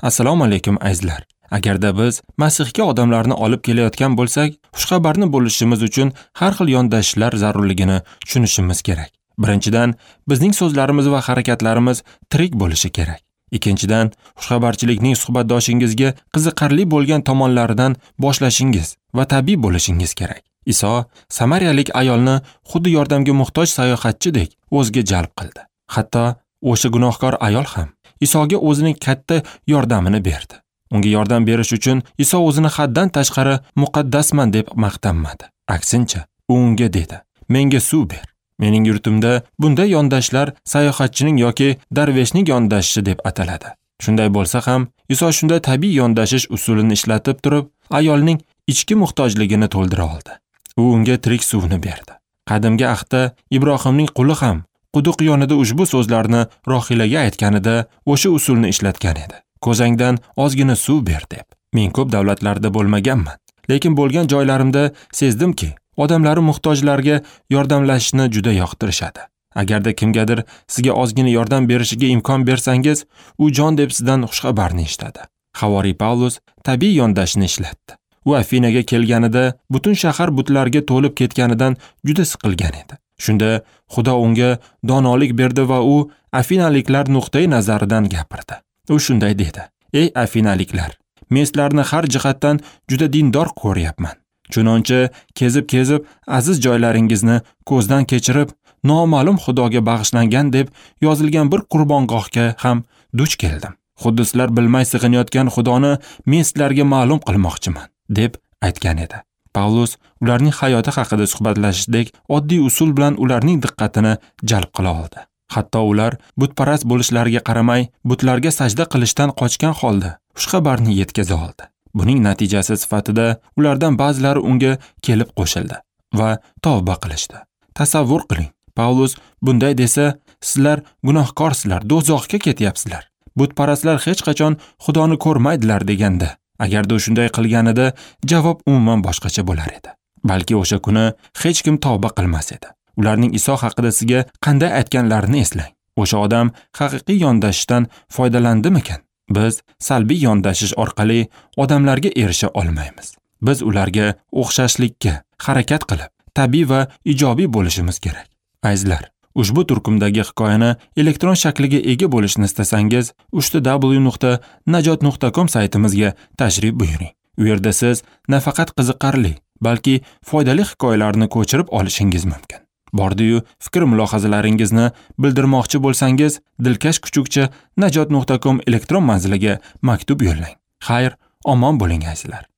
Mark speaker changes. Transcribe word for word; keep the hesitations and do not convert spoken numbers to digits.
Speaker 1: Assalomu alaykum azizlar. Agarda biz Masihga odamlarni olib kelayotgan bo'lsak, xushxabarni bo'lishimiz uchun har xil yondashishlar zarurligini tushunishimiz kerak. Birinchidan, bizning so'zlarimiz va harakatlarimiz tirik bo'lishi kerak. Ikkinchidan, xushxabarchilikning suhbatdoshingizga qiziqarli bo'lgan tomonlaridan boshlashingiz va tabiiy bo'lishingiz kerak. Iso samariyalik ayolni xuddi yordamga muhtoj sayohatchidek o'ziga jalb qildi. Hatto o'sha gunohkor ayol ham Isoga o'zining katta yordamini berdi. Unga yordam berish uchun Iso o'zini haddan tashqari muqaddasman deb maqtanmadi. Aksincha, u unga dedi: "Menga suv ber." Mening yurtimda bunday yondashlar sayohatchining yoki darveshning yondashishi deb ataladi. Shunday bo'lsa ham, Iso shunday tabiiy yondashish usulini ishlatib turib, ayolning ichki muhtojligini to'ldira oldi. U unga tirik suvni berdi. Qadimgi ahdda Ibrohimning quli ham quduq yonida ushbu so'zlarni Rohilaga aytganida o'sha usulni ishlatgan edi. Ko'zangdan ozgina suv ber deb. Men ko'p davlatlarda bo'lmaganman, lekin bo'lgan joylarimda sezdimki, odamlari muhtojlarga yordamlashishni juda yoqtirishadi. Agarda kimgadir sizga ozgina yordam berishiga imkon bersangiz, u jon deb sizdan xushxabarni eshitadi. Havoriy Pavlus tabiiy yondashishni ishlatdi. U Afinaga kelganida butun shahar butlarga to'lib ketganidan juda siqilgan edi. Shunda Xudo unga donolik berdi va u afinaliklar nuqtai nazaridan gapirdi. U shunday dedi: "Ey afinaliklar, men sizlarni har jihatdan juda dindor ko'ryapman. Chunonchi kezib-kezib aziz joylaringizni ko'zdan kechirib, noma'lum Xudoga bag'ishlangan deb yozilgan bir qurbongohga ham duch keldim. Xuddi sizlar bilmay sig'inayotgan Xudoni men sizlarga ma'lum qilmoqchiman", deb aytgan edi. Pavlus ularning hayoti haqida suhbatlashishdek oddiy usul bilan ularning diqqatini jalb qila oldi. Hatto ular butparast bo'lishlariga qaramay, butlarga sajda qilishdan qochgan holda xushxabarni yetkaza oldi. Buning natijasi sifatida ulardan ba'zilari unga kelib qo'shildi va tavba qilishdi. Tasavvur qiling, Pavlus bunday desa, sizlar gunohkorsizlar, do'zaxga ketyapsizlar. Butparastlar hech qachon Xudoni ko'rmaydilar deganda, agarda u shunday qilganida javob umuman boshqacha bo'lar edi. Balki o'sha kuni hech kim tavba qilmas edi. Ularning Iso haqida sizga qanday aytganlarini eslang. O'sha odam haqiqiy yondashishdan foydalandimikan? Biz salbiy yondashish orqali odamlarga erisha olmaymiz. Biz ularga o'xshashlikka harakat qilib, tabiiy va ijobiy bo'lishimiz kerak. Azizlar, ushbu turkumdagi hikoyani elektron shakliga ega bo'lishni istasangiz, uch w nuqta najot nuqta com saytimizga tashrif buyuring. U yerda siz nafaqat qiziqarli, balki foydali hikoyalarni ko'chirib olishingiz mumkin. Bordi-yu fikr mulohazalaringizni bildirmoqchi bo'lsangiz, dilkash kuchukcha najot nuqta com elektron manziliga maktub yo'llang. Xayr, omon bo'ling azizlar.